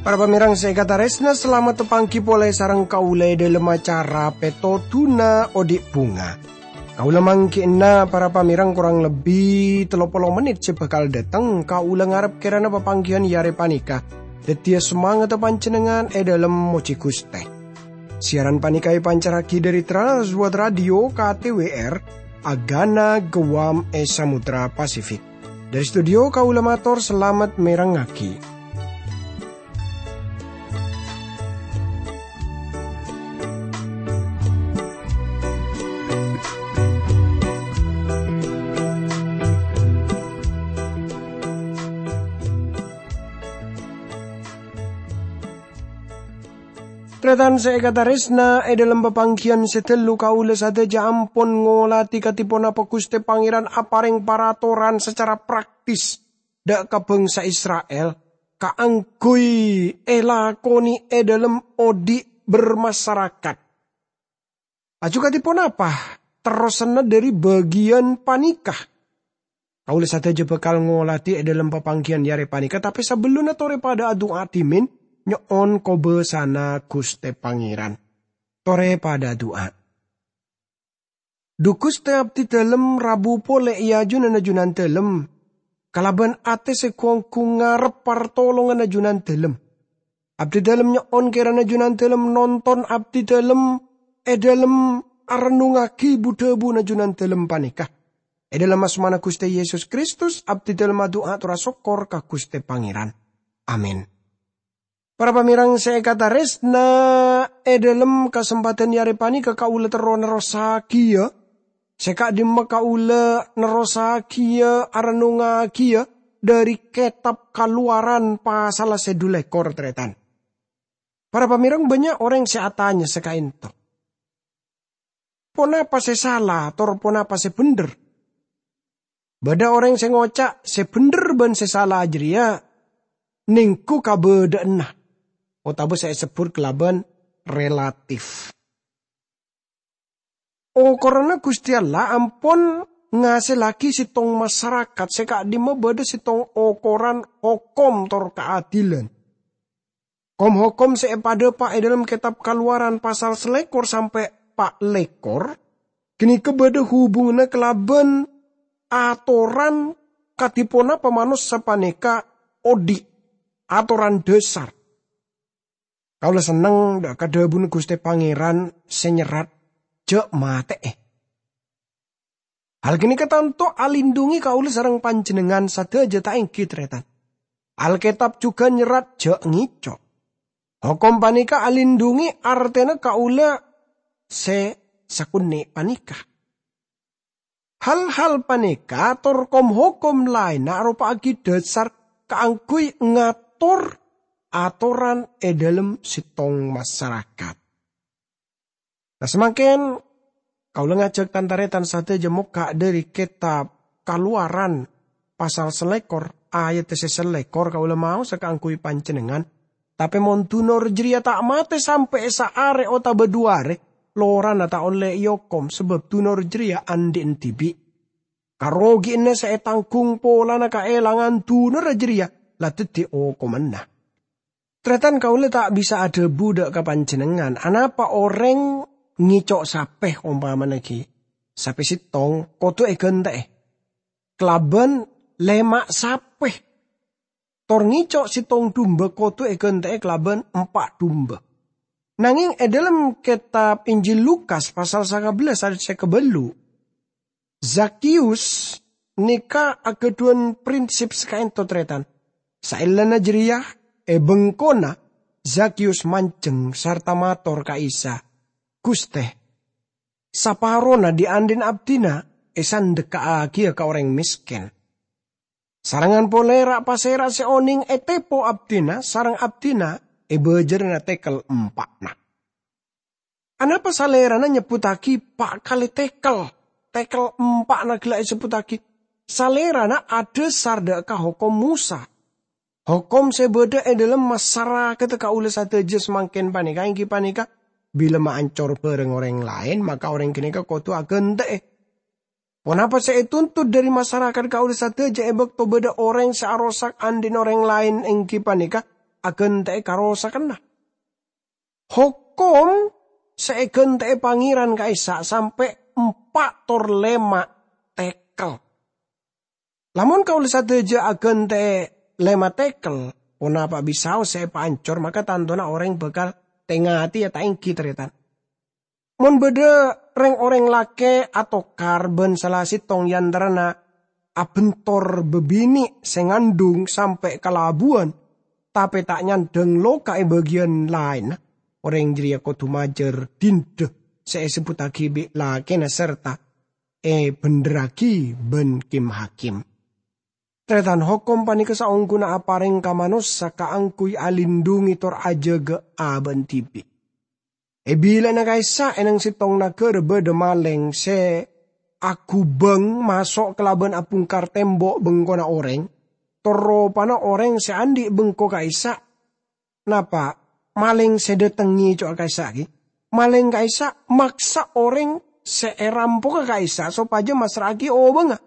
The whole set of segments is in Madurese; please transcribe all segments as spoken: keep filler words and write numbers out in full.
Para pamèrèng sè èkatarèsna, salamet tapangghi polè sareng kaulâ è dhâlem acara Pètodhuna Odi' Bhunga. Kaulâ mangghi'na para pamèrèng korang lebbi tello polo mennit sè bhâkal dâteng. Kaulâ ngarep kèrana papangghiyân è arè panèka dhâddhiyâ samangatta panjhennengngan è dhâlem mojhi Ghustè. Siaran panèka èpancarraghi dhâri Trans World Radio K T W R, Agana Guam è Samudra Pasifik. Dhâri studio kaulâ mator salamet mèrengngaghi. Tarètan sè èkatarèsna, è dhâlem papangghiyân sè ghâllu kaulâ sadhâjâ ampon ngolatè kadhi ponapa Ghustè Pangèran aparèng paratoran sacara praktis dhâ' ka bhângsa Isra'il kaangghuy èlakonè è dhâlem odi' bermasyarakat. Laju kadhi ponapa terrosanna dhâri bâgiyân panèka? Kaulâ sadhâjâ bhâkal ngolatè è dhâlem papangghiyân è arè panèka, tapè sabellunna torè padâ adu'a dhimèn nyo'on kobâsana Ghustè Pangèran. Torè padâ adu'a. Dhu Ghustè, abdhi dhâlem rabu polè è ajunanna Jhunandhâlem, kalabân atè sè gu-onggu ngarep partolonganna Jhunandhâlem. Abdhi dhâlem nyo'on kèrana Jhunandhâlem nonton abdhi dhâlem è dhâlem arennungngaghi bu-dhâbuna Jhunandhâlem panèka. È dhâlem asmana Ghustè Yesus Kristus, abdhi dhâlem adu'a tor asokkor ka Ghustè Pangèran. Amin. Para pamèrèng sè èkatarèsna, è dhâlem kasempadhân è arè panèka kaulâ terro nerrossaghiyâ, sè ka'dimma kaulâ nerrossaghiyâ arennungngaghi dhâri Kètab Kalowaran pasalla sè dhu lèkor, tarètan. Para pamèrèng, bânnya' orèng sè atanya sè ka'ènto, "Ponapa sè sala, tor ponapa sè bhendher?" Bâdâ orèng sè ngoca' sè bhendher bân sè sala jârèya nèngghu kabâdâ'ânna, otabâ sè èsebbhut kalabân relatif. Okoranna Ghustè Allah ampon ngasellaghi sèttong masarakat sè ka'dimma bâdâ sèttong okoran hokom tor kaadilan. Kom-hokom sè èpadâpa' è dhâlem Kètab Kalowaran pasal salèkor sampè' pa' lèkor, ghânèka bâdâ hubunganna kalabân atoran kadhi ponapa manossa panèka odi', atoran dhâsar. Kaulâ senneng dhâ' ka dhâbuna Ghustè Pangèran sè nyerrat, "Jhâ' matè'è." Hal ghânèka tanto alindhungi kaulâ sareng panjhennengngan sadhâjâ, ta' ènggi, tarètan? Alkètab jhughân nyerrat, "Jhâ' ngèco'." Hokom panèka alindhungi artèna kaulâ sè sakonè' panèka. Hal-hal panèka tor kom-hokom laènna aropa'aghi dhâsar kaangghuy ngator atoran è dhâlem sèttong masarakat. Nah, samangkèn kaulâ ngajhâk tan-tarètan sadhâjâ mokka' dhâri Kètab Kalowaran pasal salèkor, ayat sè salèkor kaulâ maosa kaangghuy panjhennengngan. Tapè mon dunor jârèya ta' matè sampè' saarè otabâ dhu arè, lorana ta' ollè èokom, sabâb dunor jârèya andi' dhibi'. Karogiyanna sè ètangghung polana kaèlangan dunorra jârèya la dhâddhi okomanna. Tarètan, kaulâ ta' bisa adhâbu dhâ' ka panjhennengngan, anapa orèng ngèco' sapè, ompamana ghi' sapè sèttong kodhu èghântè'è kalabân lèma' sapè. Tor ngèco' sèttong dumba kodhu èghântè'è kalabân empa' dumba. Nangèng è dhâlem kètab Injil Lukas pasal sanga bellâs ayat sè kabâllu', Zakius nèka aghâdhuwân prinsip sè ka'ènto, tarètan. Saellana jârèya, è bengkona, Zakius manjheng sarta mator ka Isa, "Ghustè, saparona dhi'-andhi'na abdhina èsandekka'aghiyâ ka orèng mèskèn. Sarengngan polè ra'-pasèra' sè onèng ètèpo abdhina sareng abdhina èbâjârâna tèkel empa'na." Anapa Salèrana nyebbhuttaghi pa' kalè tèkel? Tèkel empa'na ghellâ' èsebbhuttaghi. Salèrana adhâsar dhâ' ka Hokom Mosa. Hokom sè bâdâ è dhâlem masarakat kaulâ sadhâjâ samangkèn panèka èngghi panèka, bilâ maancor bhâreng orèng laèn, maka orèng ghânèka kodhu aghântè'è. Ponapa sè ètuntut dhâri masarakat kaulâ sadhâjâ è bâkto bâdâ orèng sè arosak andi'na orèng laèn èngghi panèka aghântè'è karosakanna? Hokom sè èghântè'è Pangèran ka'issa' sampè' empa' tor lèma' tekel. Lamon kaulâ sadhâjâ aghântè'è lèma' tekel, ponapa bisaos sè èpaancor, maka tantona orèng bhâkal tè-ngatèya, ta' èngghi, tarètan? Mon bâdâ rèng-orèng lakè' atokar bân sala sèttong è antarana abhântor bâbinè' sè ngandhung sampè' kalabuwân, tapè ta' nyandhâng loka è bâgiyân laènna, orèng jârèya kodhu majâr dinda sè èsebbhuttaghi bi' lakèna sarta èbhendherraghi bân kim-hakim. Tarètan, hokom panèka saongghuna aparèng ka manossa kaangghuy alindhungi tor ajâgâ abâ'na dhibi'. È bilâna ka'issa' è nèng sèttong naghârâ bâdâ malèng sè aghubâng maso' kalabân abhungkar tèmbo' bengkona orèng, tor ropana orèng sè andi' bengko ka'issa'. Napa? Malèng sè dâteng ngèco'a ka'issa' ghi? Malèng ka'issa' maksa orèng sè èrampoga ka'issa' sopajâ massra'aghi obângnga.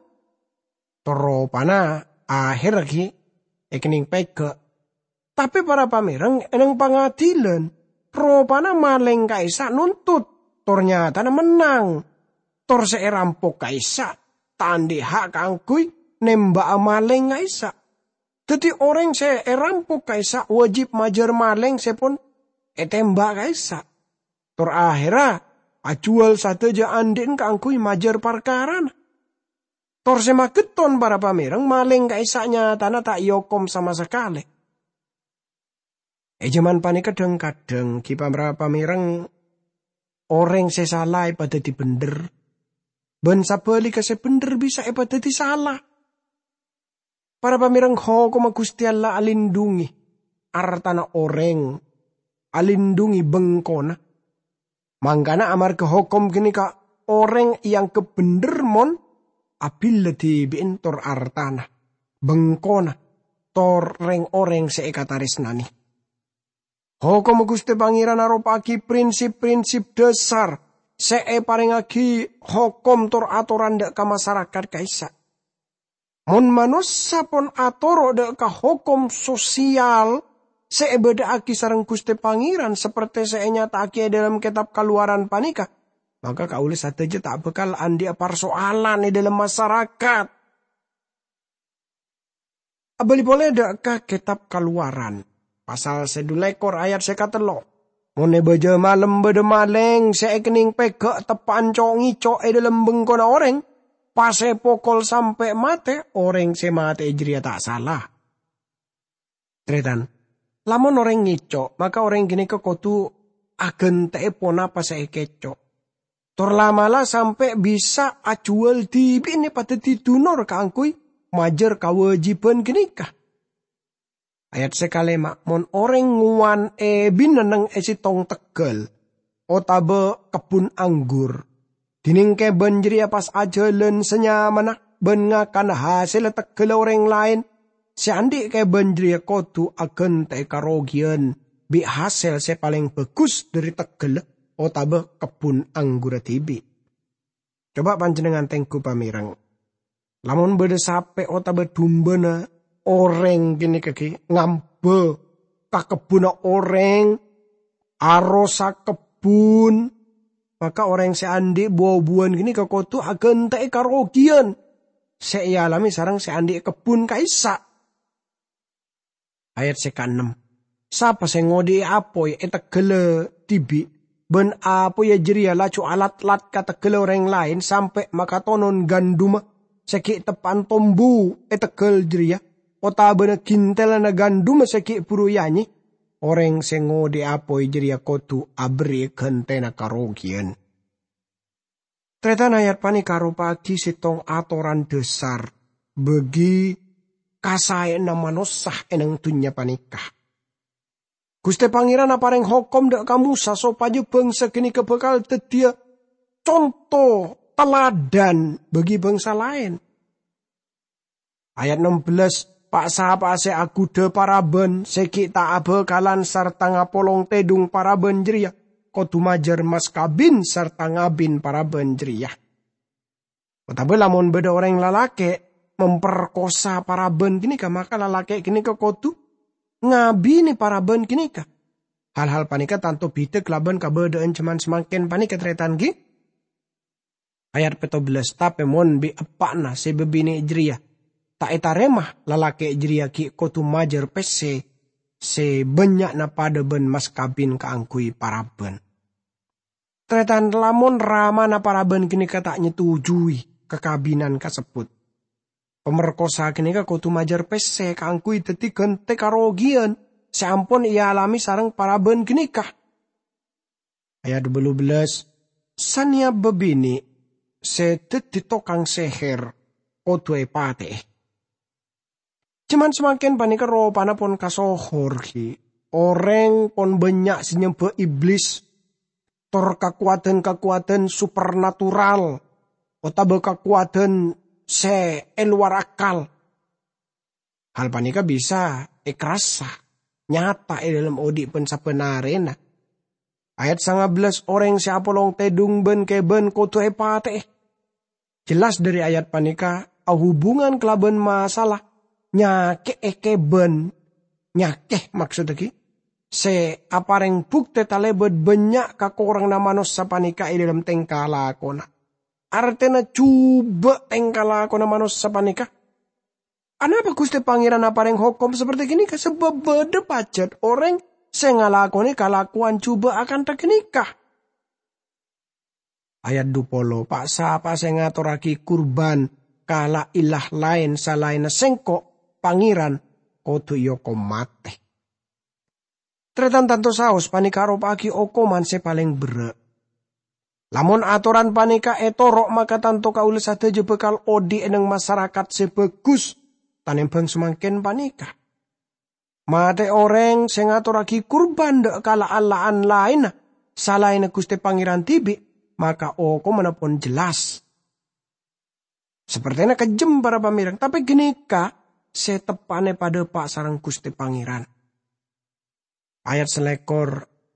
Tor ropana ahèrra ghi èkennèng pèghâ'. Tapè para pamèreng è nèng pangadhilân, ropana malèng ka'issa' nuntut, tor nyatana mennang. Tor sè èrampok ka'issa' ta' andi' ha' kaangghuy nèmba'a malèng ka'issa'. Dhâddhi orèng sè èrampok ka'issa' wâjib majâr malèng sè pon ètèmba' ka'issa'. Tor ahèrra ajhuwâl sadhâjâ andi'na kaangghuy majâr parkarana. Tor sè magetton para pamèreng, malèng ka'issa' nyatana ta' èokom sama sakalè. È jhâman panèka dhâng-kadhâng ghi para pamèreng orèng sè sala èpadhâddhi bhendher, bân sabhâligghâ sè bhendher bisa èpadhâddhi sala. Para pamèreng, hokomma Ghustè Allah alindhungi artana orèng, alindhungi bengkona. Mangkana amarghâ hokom ghânèka orèng èangghep bhendher mon abhillâ dhibi'en tor artana, bengkona, tor rèng-orèng sè èkatarèsnanè. Hokomma Ghustè Pangèran aropa'aghi prinsip-prinsip dhâsar sè èparèngaghi hokom tor atoran dâ' ka masarakat ka'issa'. Mon manossa pon atoro' dâ' ka hokom sosial sè èbâdâ'aghi sareng Ghustè Pangèran, sapertè sè ènyata'aghi è dhâlem Kètab Kalowaran panèka, maka kaulâ sadhâjâ ta' bhâkal andi'â parsoalan è dhâlem masarakat. Abâli polè dâ' ka Kètab Kalowaran, pasal sè dhu lèkor ayat sè katello'. Mon è bâjâ malem bâdâ malèng sè èkennèng pèghâ' teppa'an co'-ngèco' è dhâlem bengkona orèng, pas èpokol sampè' matè, orèng sè matè'è jârèya ta' sala. Tarètan, lamon orèng ngèco', maka orèng ghânèka kodhu aghântè'è ponapa sè èkèco'. Tor la'-mala' sampè' bisa ajhuwâl dhibi'na èpadhâddhi dunor kaangghuy majâr kawâjibhân ghânèka. Ayat sè kalèma', mon orèng ngowan èbina neng è sèttong tegghâl otabâ kebbhun anggur, dhinèng kèbân jârèya pas ajhâlân sanyamana bân ngakana hasèlla tegghâlla orèng laèn, sè andi' kèbân jârèya kodhu aghântè'è karogiyân bi' hasèl sè palèng bhâghus dhâri tegghâlla otabâ kebbhun anggurra dhibi'. Coba panjhennengngan tengghu pamèreng. Lamon bâdâ sapè otabâ dumbâna orèng ghânèka ghi' ngambâ ka kebbhunna orèng, arosak kebbhun, maka orèng sè andi' bu-buwân ghânèka kodhu aghântè'è karogiyân sè èalamè sareng sè andi' kebbhun ka'issa'. Ayat sè kaennem, "Sapa sè ngodhi'i apoy è tegghâlla dhibi', bân apoyya jârèya laju alat-lat ka tegghâlla orèng laèn sampè' makatonon gandumma sè ghi' teppa'an tombu è tegghâl jârèya, otabâna ghintellanna gandumma sè ghi' bhuru èanyè, orèng sè ngodhi'i apoy jârèya kodhu aberri'i ghântèna karogiyân." Tarètan, ayat panèka aropa'aghi sèttong atoran dhâsar bâgi kasaèyanna manossa è neng dhunnya panèka. Ghustè Pangèran aparèng hokom dâ' ka Mosa sopajâ bhângsa ghânèka bhâkal dhâddhiyâ conto taladhân bâgi bhângsa laèn. Ayat ennem belas, Pa'-sapa'a sè aghudhâ parabân sè ghi' ta' abhâkalan sarta ngapolong tèdung parabân jârèya kodhu majâr mas kabin sarta ngabin parabân jârèya. Otabâ lamon bâdâ orèng lalakè' memperkosa parabân ghânèka, maka lalakè' ghânèka kodhu ngabinè parabân ghânèka. Hal-hal panèka tanto bhidhâ kalabân kabâdâ'ân jhâman samangkèn panèka, tarètan, ghi. Ayat pètto bellâs, "Tapè mon bi' eppa'na sè bâbinè' jârèya ta' ètarèma, lalakè' jârèya ghi' kodhu majâr pèssè sè bânnya'na padâ bân mas kabin kaangghuy parabân." Tarètan, lamon ramana parabân ghânèka ta' nyetujuwi kakabinan kasebbhut, pamerkosa ghânèka kodhu majâr pèssè kaangghuy dhâddhi ghântè karogiyan sè ampon èalamè sareng parabân ghânèka. Ayat bâllu bellâs, "Sanèya bâbinè' sè dhâddhi tokang sèhèr kodhu èpatè'è." Jhâman samangkèn panèka ropana pon kasohor, ghi. Orèng pon bânnya' sè nyembhâ iblis, tor kakowadhân-kakowadhân supernatural, otabâ kakowadhân sè è lowar akal. Hal panèka bisa èkarassa nyata è dâlem odi' bân sabbhân arèna. Ayat sanga bellâs, "Orèng sè apolong tèdung bân kèbân kodhu èpatè'è." Jelas dhâri ayat panèka ahubungan kalabân masalah nyakè'è kèbân, nyakè, maksodda ghi, sè aparèng buktè talèbât bânnya' kakoranganna manossa panèka è dâlem tèngka lakona. Artèna jhubâ' tèngka lakona manossa panèka. Anapa Ghustè Pangèran aparèng hokom saperti ghânèka? Sabâb bâdâ pajhât orèng sè ngalakonè kalakowan jhubâ' akantha ghânèka. Ayat dupolo, "Pa'-sapa'a sè ngatorraghi kurban ka la-, ilah laèn salaènna Sèngko', Pangèran, kodhu èokom matè." Tarètan, tanto saos panèka aropa'aghi okoman sè palèng berrâ'. Lamon atoran panèka ètoro', maka tanto kaulâ sadhâjâ bhâkal odi' è neng masarakat sè bhâghus tanèmbhâng samangkèn panèka. Matè orèng sè ngatorraghi kurban dâ' ka la-, allah'an laènna salaènna Ghustè Pangèran dhibi', maka okomanna pon jelas. Sapertèna kejjhem, para pamèreng, tapè ghânèka sè teppa'na èpadâpa' sareng Ghustè Pangèran. Ayat salèkor,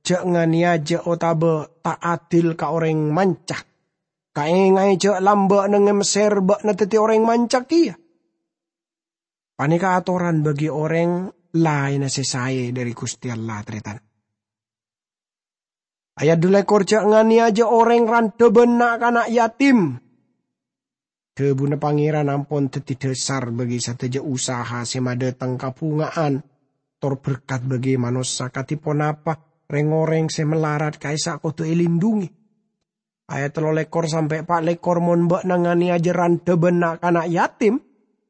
"Jhâ' nganèyaja otabâ ta' adil ka orèng manca. Kaènga'è jhâ' lambâ' neng è Messèr bâ'na dhâddhi orèng manca kèya." Panèka atoran bagi orèng laènna sè saè dhâri Ghustè Allah, tarètan. Ayat dulèkor, "Jhâ' nganèyaja orèng randhâ bân na'-kana' yatim." Dhâbuna Pangèran ampon dhâddhi dhâsar bagi sadhâjâ usaha sè madhâteng kabhunga'an, tor berkat bagi manossa kadhi ponapa rèng-orèng sè malarat ka'issa' kodhu èlindhungi. Ayat tello lèkor sampè' pa' lèkor, "Mon bâ'na nganèyaja randhâ bân na'-kana' yatim,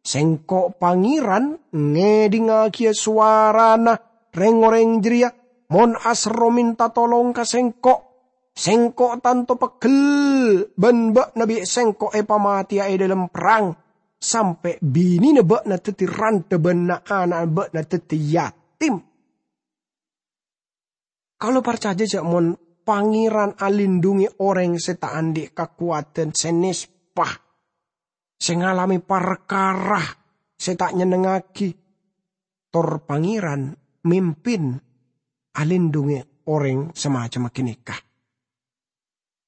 Sèngko' Pangèran ngèdhingngagiyâ sowarana rèng-orèng jârèya. Mon aserro mènta tolong ka Sèngko', Sèngko' tanto pegghel bân bâ'na bi' Sèngko' èpamatèya è dâlem perrang, sampè' binèna bâ'na dhâddhi randhâ bân na'-ana'na bâ'na dhâddhi yatim." Kaulâ parcajâ jhâ' mon Pangèran alindhungi orèng sè ta' andi' kakowadhân, sè nèspa, sè ngalamè parkara sè ta' nyennengngaghi, tor Pangèran mimpin alindhungi orèng samacemma ghânèka.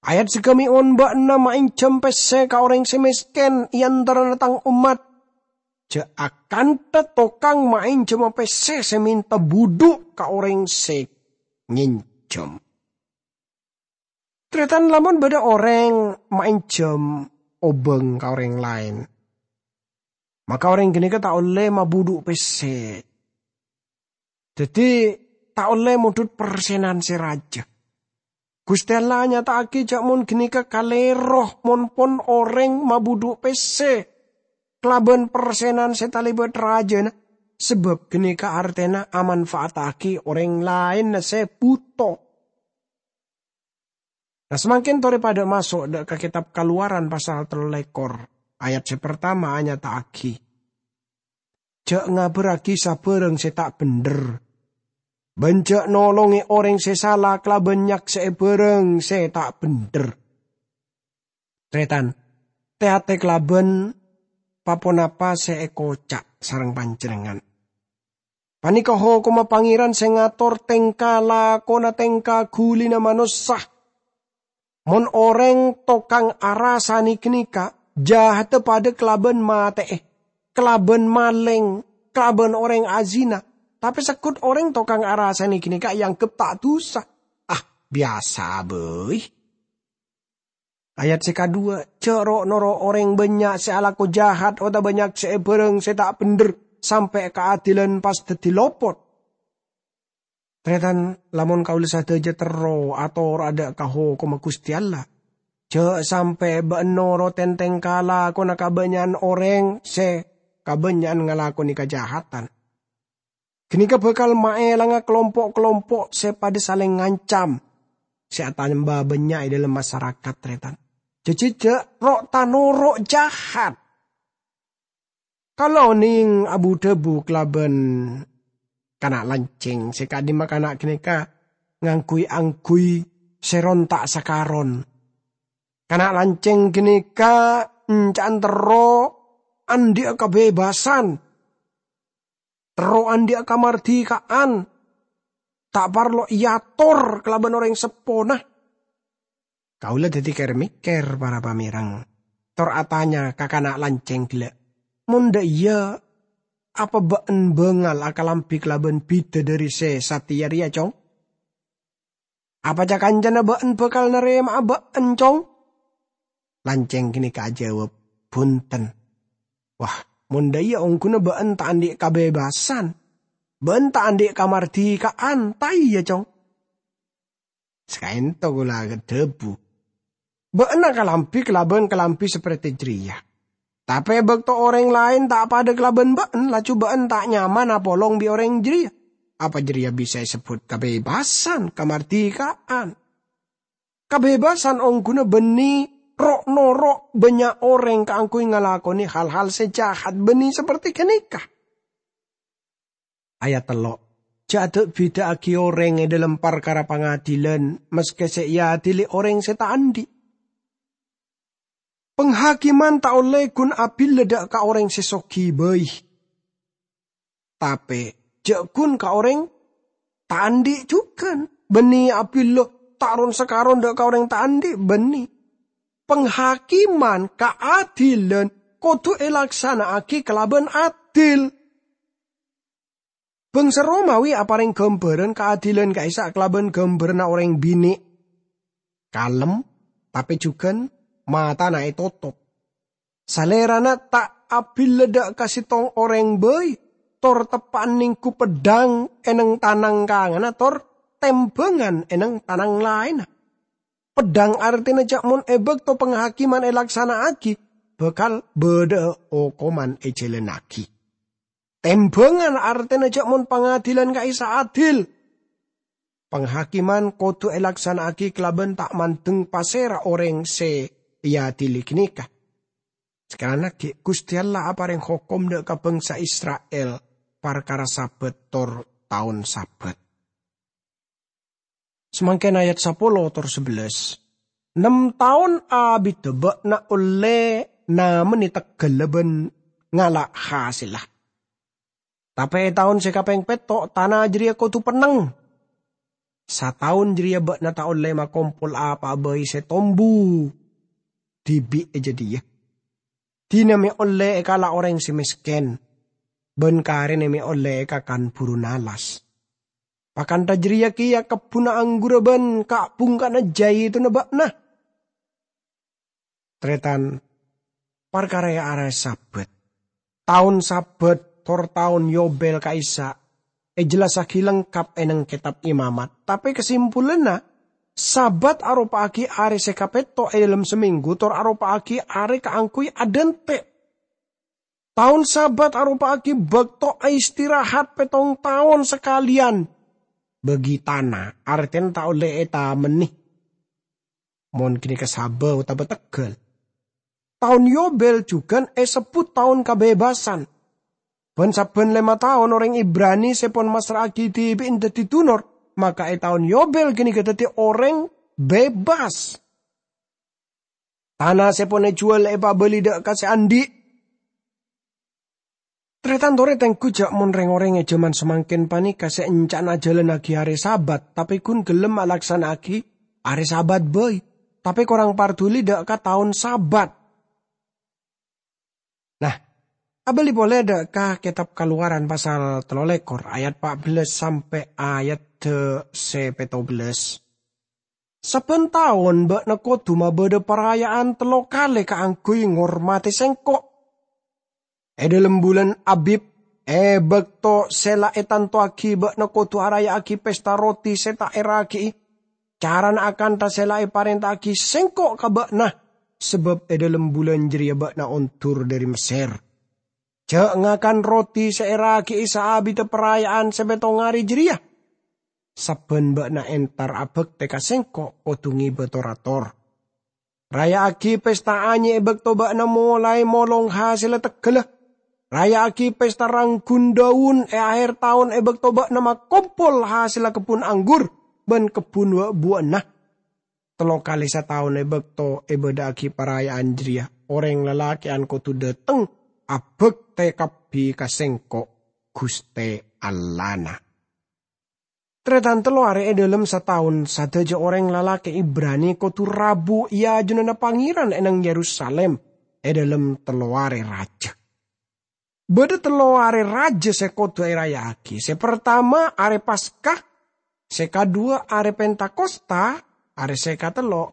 Ayat sagâmè', "Mon bâ'na maènjhâm pèssè ka orèng sè mèskèn è antarana tang ommat, jhâ' akantha tokang maènjhâmma pèssè sè mènta budhu' ka orèng sè ngènjhâm." Tarètan, lamon bâdâ orèng maènjhâm obâng ka orèng laèn, maka orèng ghânèka ta' ollè mabudhu' pèssè. Dhâddhi, ta' ollè mondhut persenan sè rajâ. Ghustè Allah anyata'aghi jhâ' mon ghânèka kalèro mon pon orèng mabudhu' pèssè kalabân persenan sè talèbât rajâna, sabâb ghânèka artèna amanfa'attaghi orèng laènna sè bhuto. Nah, samangkèn torè padâ maso' dâ' ka Kètab Kalowaran pasal tello lèkor, ayat sè partama anyata'aghi, "Jhâ' ngabârrâghi sabârâng sè ta' bhendher, bân jhâ' nolongè orèng sè sala kalabân nyaksè'è bârâng sè ta' bhendher." Tarètan, tè-atè kalabân pa-ponapa sè èkoca' sareng panjhennengngan. Panèka hokomma Pangèran sè ngator tèngka lakona tèngka ghulina manossa. Mon orèng tokang arasane ghânèka, jahadda padha kalabân matè'è, kalabân malèng, kalabân orèng azina. Tapè seggut orèng tokang arasane ghânèka èangghep ta' dusa. Ah, biyasa bhâi. Ayat sè kadhuwâ, "Jhâ' ro'-noro' orèng bânnya' sè alako jahat otabâ nyaksè'è bhârâng sè ta' bhendher sampè' kaadilan pas dhâddhi lopot." Tarètan, lamon kaulâ sadhâjâ terro atoro' adhâ' ka hokomma Ghustè Allah, jhâ' sampè' bâ'na noro' tèngka lakona kabânnya'an orèng sè kabânnya'an ngalakonè kajahatan. Ghânèka bhâkal maèlanga kalompo'-kalompo' sè padha salèng ngancam, sè atamba bânnya' è dhâlem masarakat, tarètan. Jhâ' jhâ' ro'-tanoro' jahat. Kaulâ onèng abu-dhâbu kalabân kana' lancèng sè ka'dimma kana' ghânèka ngangghuy-angghuy sè ronta' sakaron. Kana' lancèng ghânèka enca'an terro andhi'â kabebassan, terro andhi'â kamardhikaan, ta' parlo èator kalabân orèng seppona. Kaulâ dhâddhi kèr-mèkkèr, para pamèreng, tor atanya ka kana' lancèng ghellâ', "Mon dhâ' iyâ, apa bâ'en bângal akalambhi kalabân bidadari sè satèya rèya, Cong? Apa ca-kancana bâ'en bhâkal narèma'a bâ'en, Cong?" Lancèng ghânèka ajâwâb, "Bhunten." "Wah, mon dhâ' iyâ ongghuna bâ'en ta' andhi' kabebassan, bâ'en ta' andhi' kamardhikaan, ta' iyâ, Cong?" Sakaènto kaulâ adhâbu, "Bâ'en akalambhi kalabân kalambhi saperte jârèya. Tapè è bâkto orèng laèn ta' padâ kalabân bâ'en, laju bâ'en ta' nyaman apolong bi' orèng jârèya. Apa jârèya bisa èsebbhut kabebassan, kamardhikaan? Kabebassan ongghuna bânnè ro'-noro' bânnya' orèng kaangghuy ngalakonè hal-hal sè jahat bânnè saperte ghânèka." Ayat tello', "Jhâ' da'-bidâ'âghi orèng è dhâlem parkara pangadilan, maskè sè èadili orèng sè ta' andhi'. Panghakiman ta' ollè ghun abillâ dâ' ka orèng sè soghi bhâi, tapè jhâ' ghun ka orèng ta' andhi' jhughân, bânnè abillâ ta' ron-sakaron dâ' ka orèng ta' andhi', bânnè. Panghakiman, kaadilan, kodhu èlaksana'aghi kalabân adil." Bângsa Romawi aparèng ghâmbhârân kaadilan ka'issa' kalabân ghâmbhârânna orèng binè'. Kalem, tapè jhughân matana ètotop. Salèrana ta' abillâ dâ' ka sèttong orèng bhâi, tor teppa'an nèngghu peddhâng è neng-tanang kanganna tor tèmbhângan è neng-tanang laènna. Peddhâng artèna jhâ' mon è bâkto panghakiman èlaksana'aghi, bhâkal bâdâ'â okoman èjhâlânnaghi. Tèmbhângan artèna jhâ' mon pangadilan ka'issa' adil. Panghakiman kodhu èlaksana'aghi kalabân ta' mandeng pasèra orèng sè èadili ghânèka. Sakalangkong, Ghustè Allah aparèng hokom dâ' ka bângsa Isra'il parkara Sabat tor taon Sabat. Samangkèn ayat sapolo tor sabellâs. Nem taon abiddhâ bâ'na ollè namanè teggalla bân ngala' hasèlla. Tapè è taon sè kapèng pètto', tana jârèya kodhu penneng. Sataon jârèya bâ'na ta' ollè makompol apa'a bhâi sè tombu dhibi' è jâdiyâ. Dinah mè' ollè èkala' orèng sè mèskèn, bân karèna mè' ollè èkakan buru nalas. Pakantha jârèya kèya kebbhunna angghurra bân ka'-bhungka'na jhâitonna bâ'na. Tarètan, parkara è arè Sabat, taon Sabat, tor taon Yobel ka'issa' èjellassaghi lengkap è neng Kètab Imamat. Tapè kasimpulanna, Sabat aropa'aghi arè sè kapètto' è dhâlem samènggu, tor aropa'aghi arè kaangghuy adhânte'. Taon Sabat aropa'aghi bâkto aistirahat pèttong taon sakalèyan. Bâgi tana, artèna ta' ollè ètamennè. Mon ghânèka saba otabâ tegghâl. Taon Yobel jhughân èsebbhut taon kabèbasan. Bân sabbhân lèma taon orèng Ibrani sè pon massra'aghi dhibi'na dhâddhi dunor, maka è taon Yobel ghânèka dhâddhi orèng bebas. Tana sè pon èjhuwâl èpabâli dâ' ka sè andhi'. Tarètan torè tengghu jhâ' mon rèng-orèng è jhâman samangkèn panèka sè ènca'na ajhâlânnaghi arè Sabat, tapè ghun ghellem alaksana'aghi arè Sabat bhâi, tapè korang parduli dâ' ka taon Sabat. Nah, abâli polè dâ' ka Kètab Kalowaran pasal tello lèkor, ayat pa' bellâs sampè' ayat sè pètto bellâs. Sabbhân taon bâ'na kodhu mabâdâ paraya'an tello kalè kaangghuy ngormadhi Sèngko'. È dhâlem bulân Abib, è bâkto sè la ètantowaghi bâ'na kodhu araya'aghi pesta roti sè ta' èraghi'i, carana akantha sè la èparènta'aghi Sèngko' ka bâ'na, sabâb è dhâlem bulân jârèya bâ'na ondur dhâri Messèr. Jhâ' ngakan roti sè èraghi'i saabiddhâ paraya'an sè pèttong arè jârèya. Sabbhân bâ'na entar abhâktè ka Sèngko' kodhu ngibâ tor-ator. Raya'aghi pesta anyè è bâkto bâ'na molaè molong hasèlla teggalla. Raya'aghi pesta rangghun dâun è aher taon è bâkto bâ'na makompol hasèlla kebbhun anggur bân kebbhun wa'-buwa'anna. Tello kalè sataon è bâkto èbâdâ'aghi paraya'an jârèya, orèng lalakè'an kodhu dâteng abhâktè kabbhi ka Sèngko', Ghustè Allahna. Tarètan tello arè è dhâlem sataon, sadhâjâ orèng lalakè Ibrani kodhu rabu è ajunanna Pangèran è nang Yerusalim è dhâlem tello arè rajâ. Bâdâ tello arè rajâ sè kodhu èraya'aghi. Sè partama arè Paska, sè kaduwâ arè Pentakosta, arè sè katello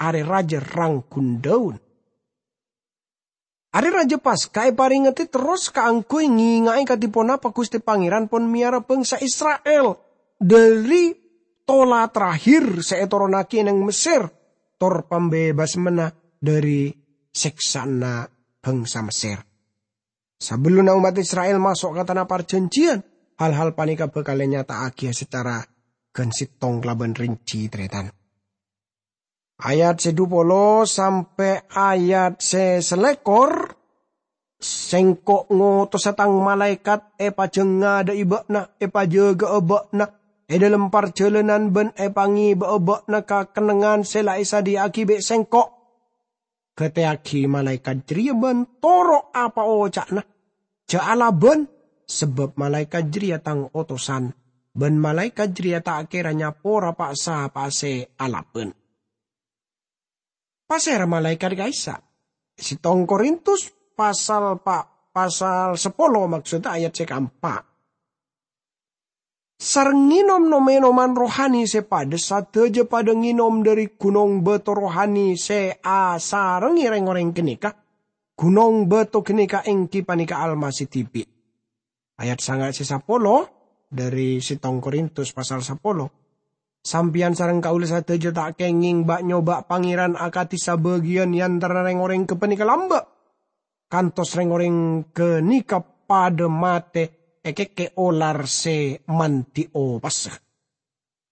arè rajâ rangghun dâun. Arè rajâ Paska èparèngngaghi terros kaangghuy ngènga'è kadhi ponapa Ghustè Pangèran pon mèyara bhângsa Isra'il dhâri tola terakhir sè ètoronaghi neng Messèr, tor pambebasmanna dhâri sèksa'anna bhângsa Messèr. Sabellunna ommat Isra'il maso' ka Tana Parjhânjhiyân, hal-hal panèka bhâkal ènyata'aghi sacara ghân sèttong kalabân rinci, tarètan. Ayat sè dhu polo sampè' ayat sè salèkor, Sèngko' ngotosa Tang malaèkat èpajhâng ngadhâ'i bâ'na, èpajâgâ'â bâ'na è dhâlem parjhâlânan bân èpangèbâ'â bâ'na ka kennengngan sè la èsadhiyâ'aghi bi' Sèngko'. Ghâtèyaghi malaèkat jârèya bân toro' apa oca'na. Jhâ' alabân, sabâb malaèkat jârèya Tang otosan, bân malaèkat jârèya ta' kèra nyapora pa-sapa'a sè alabân. Pasèra malaèkat ka'issa'? Sèttong Korintus pasal pa-, pasal sapolo, maksodda ayat sè kaempa'. Sareng ngènom nom-ènoman rohani sè padâ, sadhâjâ padâ ngènom dhâri ghunong bâto rohani sè asarengngè rèng-orèng ghânèka. Ghunong bâto ghânèka èngghi panèka Almasih dhibi'. Ayat sanga' sè sapolo dhâri sèttong Korintus pasal sapolo. Sampèyan sareng kaulâ sadhâjâ ta' kèngèng ba'-nyoba' Pangèran akadhi sabâgiyân è antarana rèng-orèng ghâpanèka lambâ', kantos rèng-orèng ghânèka padâ matè èkèkkè olar sè mandhi opassa.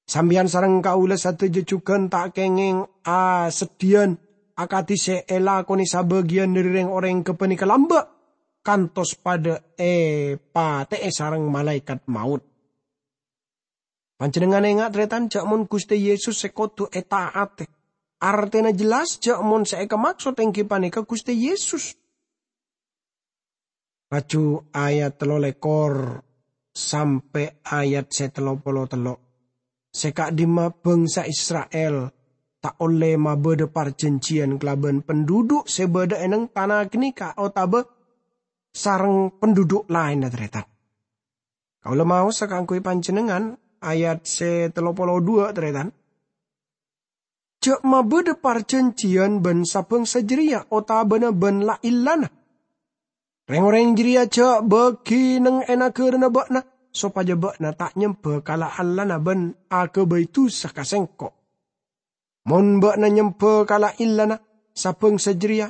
Sampèyan sareng kaulâ sadhâjâ jhughân ta' kèngèng aseddhiyân akadhi sè èlakonè sabâgiyân dhâri rèng-orèng ghâpanèka lambâ', kantos padâ èpatè'è sareng malaèkat maot. Panjhennengngan enga', tarètan, jhâ' mon Ghustè Yesus sè kodhu èta'atè. Artèna jelas jhâ' mon sè èkamaksod èngghi panèka Ghustè Yesus. Laju ayat tello lèkor sampè' ayat sè tello polo tello'. Sè ka'dimma bhângsa Isra'il ta' ollè mabâdâ parjhânjhiyân kalabân penduduk sè bâdâ è neng tana ghânèka otabâ sareng penduduk laènna, tarètan. Kaulâ maosa kaangghuy panjhennengngan, ayat sè tello polo duwâ', tarètan. Jhâ' mabâdâ parjhânjhiyân bân sabhângsa jârèya otabâna bân la-, illana. Rèng-orèng jârèya jhâ' bâgi neng è naghârâna bâ'na, sopajâ bâ'na ta' nyembhâ ka la-, allana bân aghâbây dhusa ka Sèngko'. Mon bâ'na nyembhâ ka la-, illana sabhângsa jârèya,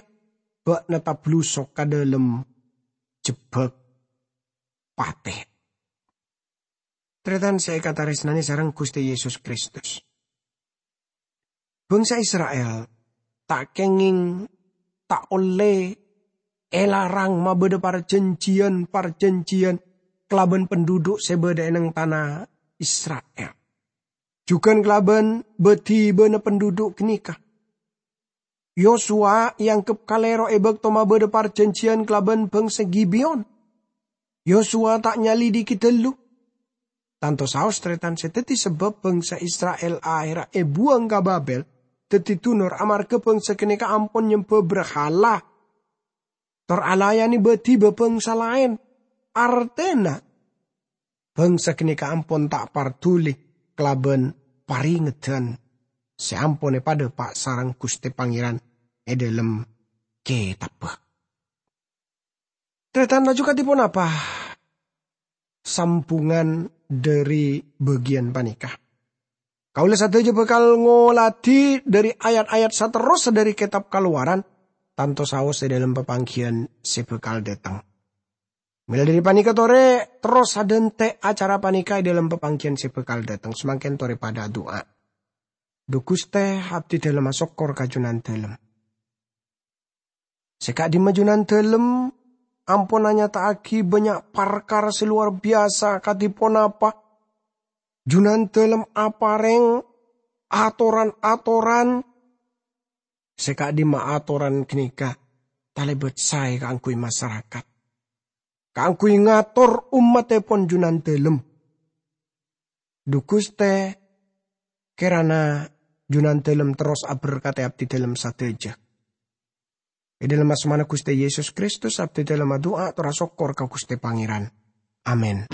bâ'na tablus ka dhâlem jebbhâk patè. Tarètan sè èkatarèsnanè sareng Ghustè Yesus Kristus. Bhângsa Isra'il ta' kèngèng ta' ollè èlarang mabâdâ parjhânjhiyân-parjhânjhiyân kalabân penduduk sè bâdâ è neng tana Isra'il. Jhughân kalabân bâdhibâna penduduk ghânèka. Yosua èangghep kalèro è bâkto mabâdâ parjhânjhiyân kalabân bhângsa Gibeon. Yosua ta' nyalidiki dâllu. Tanto saos tarètan sè dhâddhi sabâb bhângsa Isra'il aherra èbuwâng ka Babel, dhâddhi dunor amarghâ bhângsa ghânèka ampon nyembhâ brahala, tor alayanè bâdhi bhâbhângsa laèn. Artèna, bhângsa ghânèka ampon ta' parduli kalabân parèngeddhân sè ampon èpadhâpa' sareng Ghustè Pangèran è dhâlem Kètabbhâ. Tarètan laju kadhi ponapa sambhungan dhâri bâgiyân panèka? Kaulâ sadhâjâ bhâkal ngoladhi dhâri ayat-ayat saterrossa dhâri Kètab Kalowaran, tanto saos è dhâlem papangghiyân sè bhâkal dhâteng. Mèla dhâri panèka torè terros adhântè' acara panèka è dhâlem papangghiyân sè bhâkal dhâteng. Samangkèn torè padhâ adu'a. Dhu Ghustè, abdhi dhâlem asokkor ka Junandhâlem. Sè ka'dimma Junandhâlem ampon anyata'aghi bânnya' parkara sè lowar biyasa kadhi ponapa. Junandhâlem aparèng atoran-atoran sè ka'dimma atoran ghânèka talèbât saè kaangghuy masarakat, kaangghuy ngator ommattèpon Junandhâlem. Dhu Ghustè, kèrana Junandhâlem terros aberkadhi abdhi dhâlem sadhâjâ. È dhâlem asmana Ghustè Yesus Kristus, abdhi dhâlem adu'a tor asokkor ka Ghustè Pangèran. Amin.